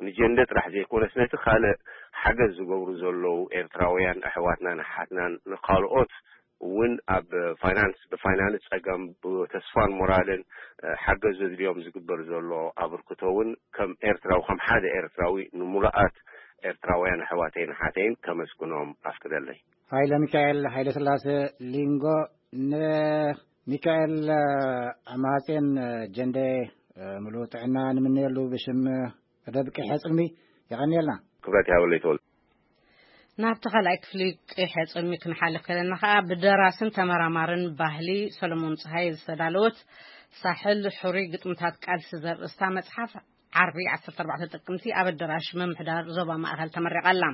ንጀንደ ጥራሕ ዘይኮነስ ነቲ ካልእ ሓገዝ ዝገብሩ ዘለዉ ኤርትራውያን ኣሕዋትናን ኣሓትናን ንኻልኦት እውን ኣብ ፋይናንስ፣ ብፋይናንስ ጸገም ብተስፋን ሞራልን፣ እ፣ ሓገዝ ዘድልዮም ዝግበር ዘሎ ኣበርክቶ እውን ከም ኤርትራዊ፣ ከም ሓደ ኤርትራዊ ንሙሉኣት ኤርትራውያን ኣሕዋተይን ኣሓተይን ከመስግኖም ኣፍቅደለይ። ሃይለ ሚካኤል ሃይለ ስላሴ ሊንጎ፣ ንሚካኤል ኣማሃጼን ጀንደ ምሉእ ጥዕና ንምነየሉ ብሽም ደብቂ ሕጽልሚ የቐንየልና። ክብረት ያበለይ ተወልደ። ናብቲ ካልኣይ ክፍሊ ቅሐ ጽልሚ ክንሓልፍ ከለና ከኣ ብደራስን ተመራማርን ባህሊ ሰሎሞን ጸሃየ ዝተዳለወት ሳሕል ሕሩይ ግጥምታት ቃልሲ ዘርእስታ መጽሓፍ ዓርቢ ዓሰርተ ኣርባዕተ ጥቅምቲ ኣብ ኣደራሽ ምምሕዳር ዞባ ማእኸል ተመሪቓ ኣላ።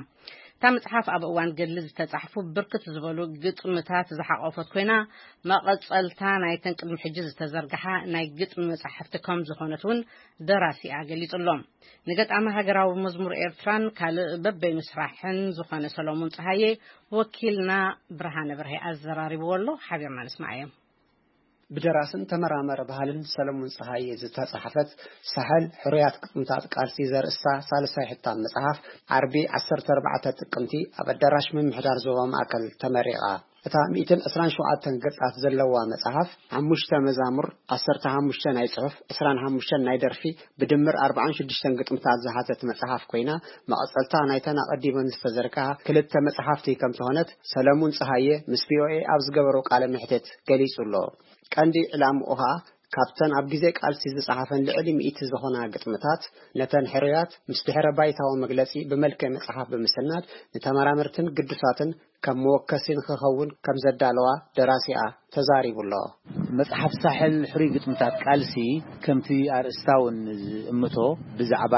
እታ መጽሓፍ ኣብ እዋን ገድሊ ዝተጻሕፉ ብርክት ዝበሉ ግጥምታት ዝሓቆፈት ኮይና፣ መቐጸልታ ናይተን ቅድሚ ሕጂ ዝተዘርግሓ ናይ ግጥሚ መጻሕፍቲ ከም ዝኾነት እውን ደራሲኣ ገሊጹ ኣሎ። ንገጣሚ ሃገራዊ መዝሙር ኤርትራን ካልእ በበይኑ ስራሕን ዝኾነ ሰሎሞን ጸሃየ ወኪልና ብርሃነ በርሀ ኣዘራሪብዎ ኣሎ። ሓቢርና ንስማዓዮ። ብደራስን ተመራመረ ባህልን ሰለሙን ጸሃየ ዝተጻሕፈት ሳሕል ሕሩያት ግጥምታት ቃልሲ ዘርእስታ ሳልሳይ ሕታም መጽሓፍ ዓርቢ ዓሰርተ ኣርባዕተ ጥቅምቲ ኣብ ኣዳራሽ ምምሕዳር ዞባ ማእከል ተመሪቓ። እታ ሚእትን ዕስራን ሸውዓተን ገጻት ዘለዋ መጽሓፍ ሓሙሽተ መዛሙር፣ ዓሰርተ ሓሙሽተ ናይ ጽሑፍ፣ ዕስራን ሓሙሽተን ናይ ደርፊ፣ ብድምር ኣርባዓን ሽዱሽተን ግጥምታት ዝሓዘት መጽሓፍ ኮይና፣ መቐጸልታ ናይተን ኣቐዲመን ዝተዘርግሓ ክልተ መጽሓፍቲ ከም ዝኾነት ሰለሙን ጸሃየ ምስ ቪኦኤ ኣብ ዝገበሮ ቃለ መሕትት ገሊጹ ኣሎ። ቀንዲ ዕላምኡ ኸኣ ካብተን ኣብ ግዜ ቃልሲ ዝጸሓፈን ልዕሊ ሚእቲ ዝኾና ግጥምታት፣ ነተን ሕሩያት ምስ ድሕረ ባይታዊ መግለጺ ብመልክዕ መጽሓፍ ብምስናድ ንተመራመርትን ግዱሳትን ከም መወከሲ ንኽኸውን ከም ዘዳለዋ ደራሲኣ ተዛሪቡ ኣሎ። መጽሓፍ ሳሕል ሕሩይ ግጥምታት ቃልሲ ከምቲ ኣርእስታ እውን ዝእምቶ ብዛዕባ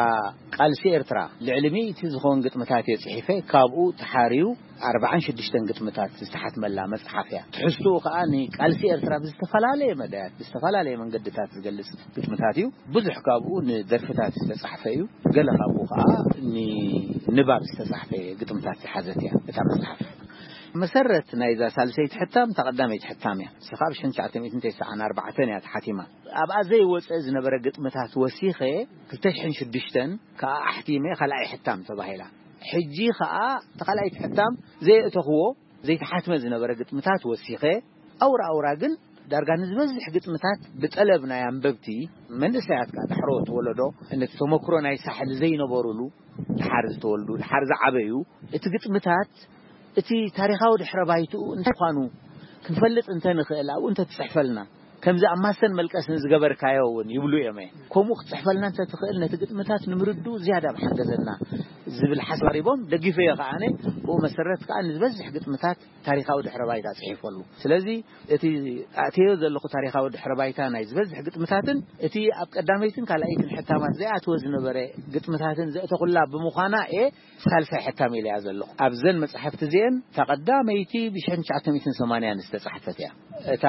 ቃልሲ ኤርትራ ልዕሊ ሚእቲ ዝኾን ግጥምታት እየ ጽሒፈ። ካብኡ ተሓርዩ ኣርባዓን ሽዱሽተን ግጥምታት ዝተሓትመላ መጽሓፍ እያ። ትሕዝትኡ ከኣ ንቃልሲ ኤርትራ ብዝተፈላለየ መዳያት፣ ብዝተፈላለየ መንገድታት ዝገልጽ ግጥምታት እዩ። ብዙሕ ካብኡ ንደርፍታት ዝተጻሕፈ እዩ። ገለ ካብኡ ከኣ ንንባብ ዝተጻሕፈ ግጥምታት ዝሓዘት እያ እታ መጽሓፍ። መሰረት ናይዛ ሳልሰይቲ ሕታም እታ ቀዳመይቲ ሕታም እያ። ንሳ ከኣ ብ ሽሕን ትሽዓተ ሚእትን ተስዓን ኣርባዕተን እያ ተሓቲማ። ኣብኣ ዘይወጸ ዝነበረ ግጥምታት ወሲኸ ክልተ ሽሕን ሽዱሽተን ከኣ ኣሕቲመ ካልኣይ ሕታም ተባሂላ። ሕጂ ከኣ እታ ካልኣይቲ ሕታም ዘየእተኽዎ ዘይተሓትመ ዝነበረ ግጥምታት ወሲኸ፣ ኣውራ ኣውራ ግን ዳርጋ ንዝበዝሕ ግጥምታት ብጠለብ ናይ ኣንበብቲ፣ መንእሰያት ከኣ ዳሕሮት ወለዶ፣ ነቲ ተመክሮ ናይ ሳሕል ዘይነበሩሉ፣ ድሓር ዝተወልዱ፣ ድሓር ዝዓበዩ፣ እቲ ግጥምታት፣ እቲ ታሪኻዊ ድሕረ ባይትኡ እንታይ ምዃኑ ክንፈልጥ እንተ ንኽእል፣ ኣብኡ እንተ ትጽሕፈልና፣ ከምዚ ኣብ ማስተን መልቀስን ዝገበርካዮ እውን ይብሉ እዮም። ከምኡ ክትጽሕፈልና እንተ ትኽእል፣ ነቲ ግጥምታት ንምርድኡ ዝያዳ ምሓገዘና ዝብል ሓሳብ ኣቕሪቦም፣ ደጊፈዮ ከኣ ኣነ። ብኡ መሰረት ከኣ ንዝበዝሕ ግጥምታት ታሪኻዊ ድሕረ ባይታ ጽሒፈሉ። ስለዚ እቲ ኣእተዮ ዘለኹ ታሪኻዊ ድሕረ ባይታ ናይ ዝበዝሕ ግጥምታትን እቲ ኣብ ቀዳመይትን ካልኣይትን ሕታማት ዘይኣተወ ዝነበረ ግጥምታትን ዘእተኹላ ብምዃና እየ ሳልሳይ ሕታም ኢለያ ዘለኹ። ኣብዘን መጻሕፍቲ እዚአን እታ ቀዳመይቲ ብ ሽሕን ትሽዓተ ሚእትን ሰማንያን ዝተጻሕፈት እያ። እታ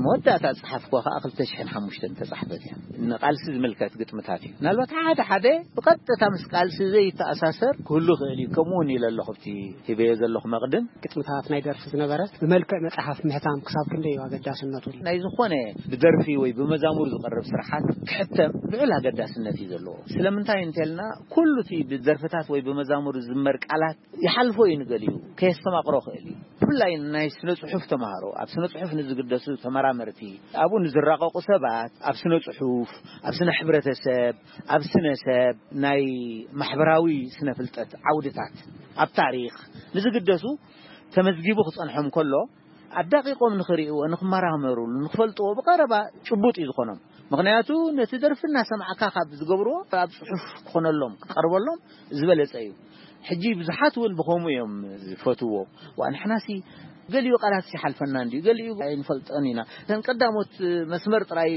መወዳእታ ዝጸሓፍኩዋ ከኣ ክልተ ሽሕን ሓሙሽተን ዝተጻሕፈት እያ። ንቃልሲ ዝምልከት ግጥምታት እዩ። ምናልባት ሓደ ሓደ ብቐጥታ ምስ ቃልሲ ዘይተኣሳሰር ክህሉ ይኽእል እዩ። ከምኡ እውን ኢለ ኣለኹ ኣብቲ ሂበዮ ዘለኹ መቕድም። ግጥምታት ናይ ደርፊ ዝነበረ ብመልክዕ መጽሓፍ ምሕታም ክሳብ ክንደይ እዩ ኣገዳስነቱ? ናይ ዝኾነ ብደርፊ ወይ ብመዛሙር ዝቐርብ ስርሓት ክሕተም ልዑል ኣገዳስነት እዩ ዘለዎ። ስለምንታይ እንተልና፣ ኩሉ እቲ ብደርፍታት ወይ ብመዛሙር ዝዝመር ቃላት ይሓልፎ እዩ፣ ንገሊኡ ከየስተማቕሮ ክእል እዩ። ብፍላይ ናይ ስነ ጽሑፍ ተማሃሮ፣ ኣብ ስነ ጽሑፍ ንዝግደሱ ተመራመርቲ፣ ኣብኡ ንዝራቐቑ ሰባት፣ ኣብ ስነ ጽሑፍ፣ ኣብ ስነ ሕብረተሰብ፣ ኣብ ስነ ሰብ፣ ናይ ማሕበራዊ ስነ ፍልጠት ዓውድታት፣ ኣብ ታሪኽ ንዝግደሱ ተመዝጊቡ ክጸንሖም ከሎ፣ ኣዳቂቖም ንኽርእይዎ፣ ንኽመራመሩሉ፣ ንኽፈልጥዎ ብቐረባ ጭቡጥ እዩ ዝኾኖም። ምኽንያቱ ነቲ ደርፊ እናሰማዕካ ካብ ዝገብርዎ ኣብ ጽሑፍ ክኾነሎም፣ ክቐርበሎም ዝበለጸ እዩ። ሕጂ ብዙሓት እውን ብኸምኡ እዮም ዝፈትዎ። ዋ፣ ንሕናሲ ገሊኡ ቃላት ይሓልፈና እንድዩ፣ ገሊኡ ኣይንፈልጦን ኢና። እተን ቀዳሞት መስመር ጥራይ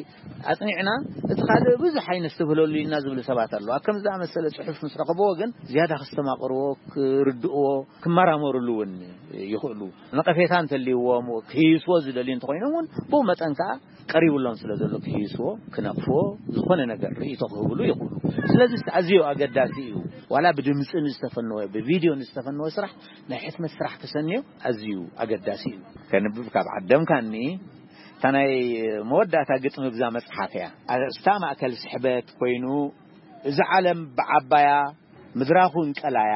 ኣጽኒዕና፣ እቲ ካልእ ብዙሕ ኣይነስተብህለሉ ኢና ዝብሉ ሰባት ኣለዉ። ኣብ ከምዚ ዝኣመሰለ ጽሑፍ ምስ ረኸብዎ ግን ዝያዳ ከስተማቕርዎ፣ ክርድእዎ፣ ክመራመሩሉ እውን ይኽእሉ። ነቐፌታ እንተልይዎም፣ ክህይስዎ ዝደልዩ እንተኾይኖም እውን ብኡ መጠን ከኣ ቀሪቡሎም ስለ ዘሎ ክህይስዎ፣ ክነቕፍዎ፣ ዝኾነ ነገር ርእይቶ ክህብሉ ይኽእሉ። ስለዚ ኣዝዩ ኣገዳሲ እዩ። ዋላ ብድምጺ ንዝተፈነወ፣ ብቪድዮ ንዝተፈነወ ስራሕ ናይ ሕትመት ስራሕ ክሰንዮ ኣዝዩ ኣገዳሲ እዩ። ከንብብ ካብ ዓደምካኒ፣ እታ ናይ መወዳእታ ግጥሚ ብዛ መጽሓፍ እያ። ኣርእስታ ማእከል ስሕበት ኮይኑ፣ እዚ ዓለም ብዓባያ ምድራኹ እንቀላያ፣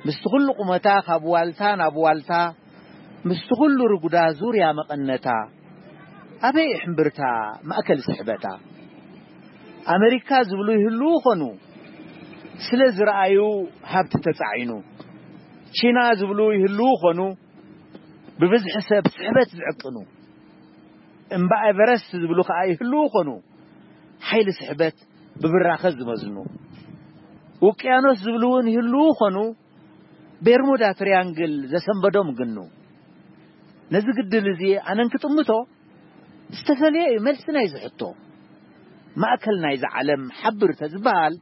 ምስቲ ኩሉ ቁመታ ካብ ዋልታ ናብ ዋልታ፣ ምስቲ ኩሉ ርጉዳ ዙርያ መቐነታ፣ ኣበይ እሕምብርታ ማእከል ስሕበታ? ኣመሪካ ዝብሉ ይህልዉ ኾኑ፣ ስለ ዝረኣዩ ሃብቲ ተጻዒኑ። ቺና ዝብሉ ይህልዉ ኾኑ፣ ብብዝሒ ሰብ ስሕበት ዝዕቅኑ። እምባ ኤቨረስት ዝብሉ ከኣ ይህልዉ ኾኑ፣ ሓይሊ ስሕበት ብብራኸ ዝመዝኑ። ውቅያኖስ ዝብሉ እውን ይህልዉ ኾኑ፣ ቤርሙዳ ትሪያንግል ዘሰንበዶም ግኑ። ነዚ ግድል እዚ ኣነን ክጥምቶ ዝተፈልየ እዩ መልሲ ናይዚ ሕቶ። ማእከል ናይዚ ዓለም ሓብር ተዝበሃል፣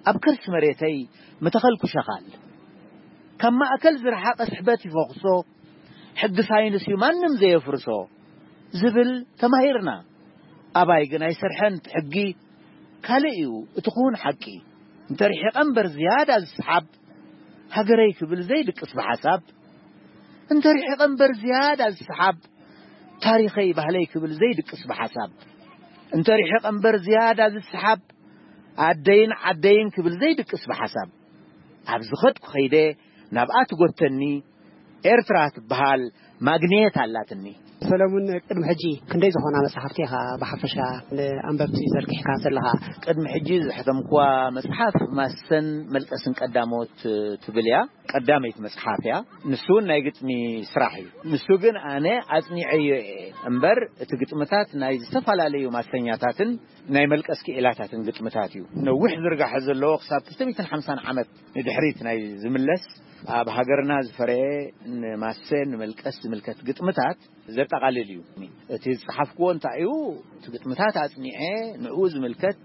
ኣብ ከርሲ መሬተይ ምተኸልኩ ሸኻል። ካብ ማእከል ዝረሓቐ ስሕበት ይፈኹሶ፣ ሕጊ ሳይንስ እዩ ማንም ዘየፍርሶ ዝብል ተማሂርና። ኣባይ ግን ኣይሰርሐን እቲ ሕጊ፣ ካልእ እዩ እቲ ክውን ሓቂ። እንተርሒቐ እምበር ዝያዳ ዝሰሓብ፣ ሃገረይ ክብል ዘይድቅስ ብሓሳብ። እንተርሒቐ እምበር ዝያዳ ዝሰሓብ፣ ታሪኸይ ባህለይ ክብል ዘይድቅስ ብሓሳብ። እንተርሒቐ እምበር ዝያዳ ዝሰሓብ፣ ኣደይን ዓደይን ክብል ዘይድቅስ ብሓሳብ። ኣብ ዝኸድኩ ኸይደ ናብኣ ትጎተኒ፣ ኤርትራ ትበሃል ማግኔት ኣላትኒ። ሰለሙን፣ ቅድሚ ሕጂ ክንደይ ዝኾና መጽሓፍቲ ኢኻ ብሓፈሻ ንኣንበብቲ ዘርጊሕካ ዘለኻ? ቅድሚ ሕጂ ዘሕተምኩዋ መጽሓፍ ማሰን መልቀስን ቀዳሞት ትብል እያ። ቀዳመይቲ መጽሓፍ እያ። ንሱ እውን ናይ ግጥሚ ስራሕ እዩ። ንሱ ግን ኣነ ኣጽኒዐዮ እየ እምበር፣ እቲ ግጥምታት ናይ ዝተፈላለዩ ማሰኛታትን ናይ መልቀስ ክኢላታትን ግጥምታት እዩ። ነዊሕ ዝርጋሐ ዘለዎ ክሳብ ክልተ ሚእትን ሓምሳን ዓመት ንድሕሪት ናይ ዝምለስ፣ ኣብ ሃገርና ዝፈረየ ንማሰ ንመልቀስ ዝምልከት ግጥምታት ዘጠቓልል እዩ። እቲ ዝጸሓፍክዎ እንታይ እዩ? እቲ ግጥምታት ኣጽኒዐ፣ ንዕኡ ዝምልከት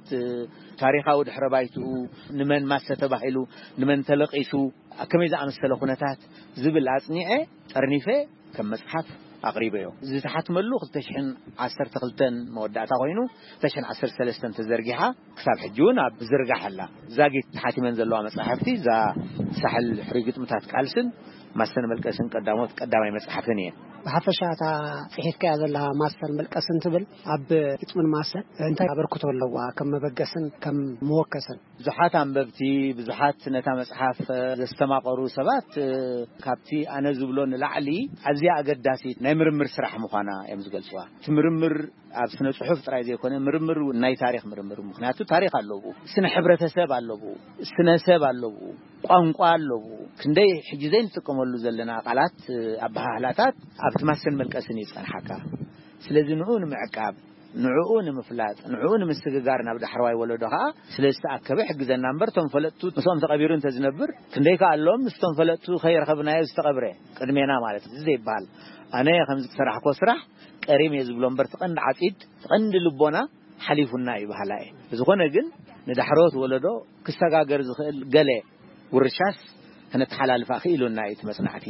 ታሪኻዊ ድሕረ ባይትኡ፣ ንመን ማሰ ተባሂሉ፣ ንመን ተለቒሱ፣ ኣብ ከመይ ዝኣመሰለ ኩነታት ዝብል ኣጽኒዐ፣ ጠርኒፈ ከም መጽሓፍ ኣቕሪበዮ። ዝተሓትመሉ ክልተ ሽሕን ዓሰርተ ክልተን መወዳእታ ኮይኑ፣ ክልተ ሽሕን ዓሰርተ ሰለስተን ተዘርጊሓ፣ ክሳብ ሕጂ እውን ኣብ ዝርጋሕ ኣላ። ዛጊት ተሓቲመን ዘለዋ መጻሕፍቲ፣ እዛ ሳሕል ሕሩይ ግጥምታት ቃልስን ማሰን መልቀስን ቀዳሞት ቀዳማይ መጽሓፍን እየን። ብሓፈሻ እታ ጽሒፍካያ ዘለኻ ማሰን መልቀስን ትብል ኣብ ግጥምን ማሰን እንታይ ኣበርክቶ ኣለዋ፣ ከም መበገስን ከም መወከስን? ብዙሓት ኣንበብቲ፣ ብዙሓት ነታ መጽሓፍ ዘስተማቐሩ ሰባት፣ ካብቲ ኣነ ዝብሎ ንላዕሊ ኣዝያ ኣገዳሲት ናይ ምርምር ስራሕ ምዃና እዮም ዝገልጽዋ። እቲ ምርምር ኣብ ስነ ጽሑፍ ጥራይ ዘይኮነ፣ ምርምር እውን ናይ ታሪኽ ምርምር፣ ምኽንያቱ ታሪኽ ኣለዎ፣ ስነ ሕብረተሰብ ኣለዎ፣ ስነ ሰብ ኣለዎ፣ ቋንቋ ኣለዎ። ክንደይ ሕጂ ዘይንጥቀመሉ ዘለና ቃላት፣ ኣበሃህላታት ኣብቲ ማሰን መልቀስን እዩ ዝጸንሓካ። ስለዚ ንኡ ንምዕቃብ፣ ንዕኡ ንምፍላጥ፣ ንዕኡ ንምስግጋር ናብ ዳሕረዋይ ወለዶ ከኣ ስለ ዝተኣከበ ሕግዘና እምበር፣ እቶም ፈለጥቱ ምስኦም ተቐቢሩ እንተዝነብር ክንደይ ከኣ ኣሎም፣ ምስቶም ፈለጥቱ ከይረኸብናዮ ዝተቐብረ ቅድሜና ማለት እዩ። እዚ ዘይበሃል፣ ኣነ ከምዚ ዝሰራሕኮ ስራሕ ቀሪም እየ ዝብሎ እምበር፣ እቲ ቀንዲ ዓጺድ፣ እቲ ቀንዲ ልቦና ሓሊፉና እዩ በሃላ እየ። ብዝኾነ ግን ንዳሕረዎት ወለዶ ክሰጋገር ዝኽእል ገለ ውርሻስ ከነተሓላልፋ ክኢሉና እዩ እቲ መጽናዕቲ።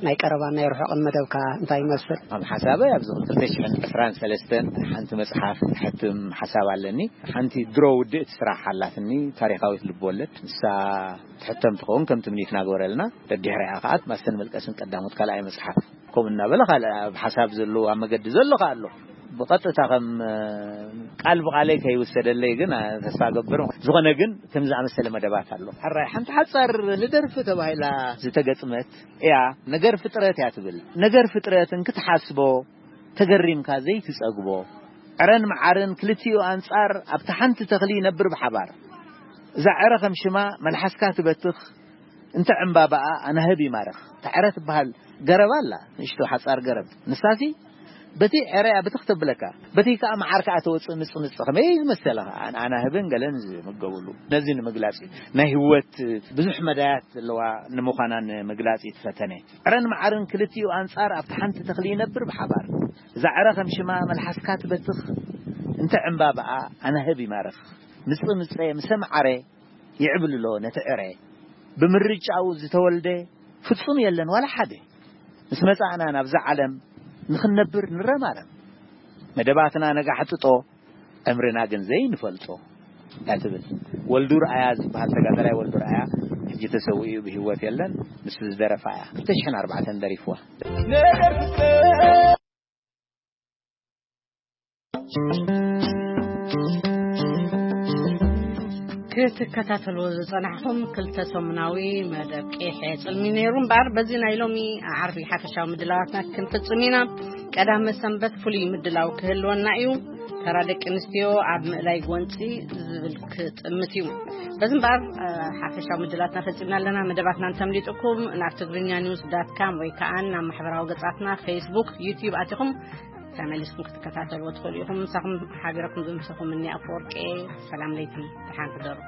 ናይ ቀረባን ናይ ርሑቕን መደብካ እንታይ ይመስል? ከም ሓሳበይ ኣብዚ ክልተ ሽሕን ዕስራን ሰለስተን ሓንቲ መጽሓፍ ክሕትም ሓሳብ ኣለኒ። ሓንቲ ድሮ ውድእቲ ስራሕ ኣላትኒ፣ ታሪኻዊት ልብወለድ። ንሳ ትሕተም ትኸውን ከም ትምኒትና ግበረልና። ደድሕሪኣ ከኣ ማሰን መልቀስን ቀዳሞት ካልኣይ መጽሓፍ። ከምኡ እናበለ ካልእ ኣብ ሓሳብ ዘሎ፣ ኣብ መገዲ ዘሎ ከኣ ኣሎ። ብቐጥታ ከም፣ እ፣ ቃል ብቓለይ ከይውሰደለይ ግን፣ እ፣ ተስፋ እገብር። ዝኾነ ግን ከም ዝኣመሰለ መደባት ኣሎ። ሕራይ ሓንቲ ሓጻር ንደርፊ ተባሂላ ዝተገጥመት እያ። ነገር ፍጥረት እያ ትብል። ነገር ፍጥረት እንክትሓስቦ ተገሪምካ ዘይትጸግቦ። ዕረን መዓርን ክልቲኡ ኣንጻር ኣብታ ሓንቲ ተኽሊ ይነብር ብሓባር። እዛ ዕረ ከም ሽማ መልሓስካ ትበትኽ፣ እንተ ዕምባባኣ ኣናህብ ይማርኽ። እታ ዕረ ትበሃል ገረብ ኣላ፣ ንእሽቶ ሓጻር ገረብ። ንሳሲ በቲ ዕረያ ብትኽ ተብለካ፣ በቲ ከኣ መዓር ከኣ ተወጽእ ምጽምጽ። ከመይ ዝመሰለ ከኣ ኣናህብን ገለን ዝምገቡሉ። ነዚ ንምግላጽ እዩ። ናይ ህይወት ብዙሕ መዳያት ዘለዋ ንምዃና ንምግላጽ እዩ ትፈተነ። ዕረን መዓርን ክልቲኡ ኣንጻር ኣብቲ ሓንቲ ተኽሊ ይነብር ብሓባር። እዛ ዕረ ከም ሽማ መልሓስካ ትበትኽ፣ እንተ ዕምባባኣ ኣናህብ ይማርኽ። ምጽ ምጸ ምሰ መዓረ ይዕብልሎ ነቲ ዕረ። ብምርጫኡ ዝተወልደ ፍጹም የለን ዋላ ሓደ። ምስ መጻእና ናብዛ ዓለም ንኽንነብር ንረማረም። መደባትና ነጋ ሕጥጦ፣ ዕምርና ግን ዘይንፈልጦ እያ ትብል። ወልዱ ረኣያ ዝበሃል ተጋዳላይ ወልዱ ረኣያ ሕጂ ተሰዊኡ እዩ፣ ብህይወት የለን። ንሱ ዝደረፋ እያ። ክልተ ሽሕን ኣርባዕተን ደሪፍዋ። ክትከታተልዎ ዝጸናሕኹም ክልተ ሰሙናዊ መደብ ቄሐ ጽልሚ ነይሩ እምበኣር፣ በዚ ናይ ሎሚ ዓርቢ ሓፈሻዊ ምድላዋትና ክንፍጽም ኢና። ቀዳመ ሰንበት ፍሉይ ምድላው ክህልወና እዩ። ተራ ደቂ ኣንስትዮ ኣብ ምእላይ ጎንፂ ዝብል ክጥምት እዩ። በዚ እምበኣር ሓፈሻዊ ምድላትና ፈፂምና ኣለና። መደባትና እንተምሊጥኩም ናብ ትግርኛ ኒውስ ዳት ካም ወይ ከዓ ናብ ማሕበራዊ ገፃትና ፌስቡክ፣ ዩቲዩብ ኣቲኹም ተመሊስኩም ክትከታተልዎ ትኽእሉ ኢኹም። ምሳኹም ሓቢረኩም ዝምሰኹም እኒ ኣፈወርቂ። ሰላም ለይቲ፣ ደሓን ሕደሩ።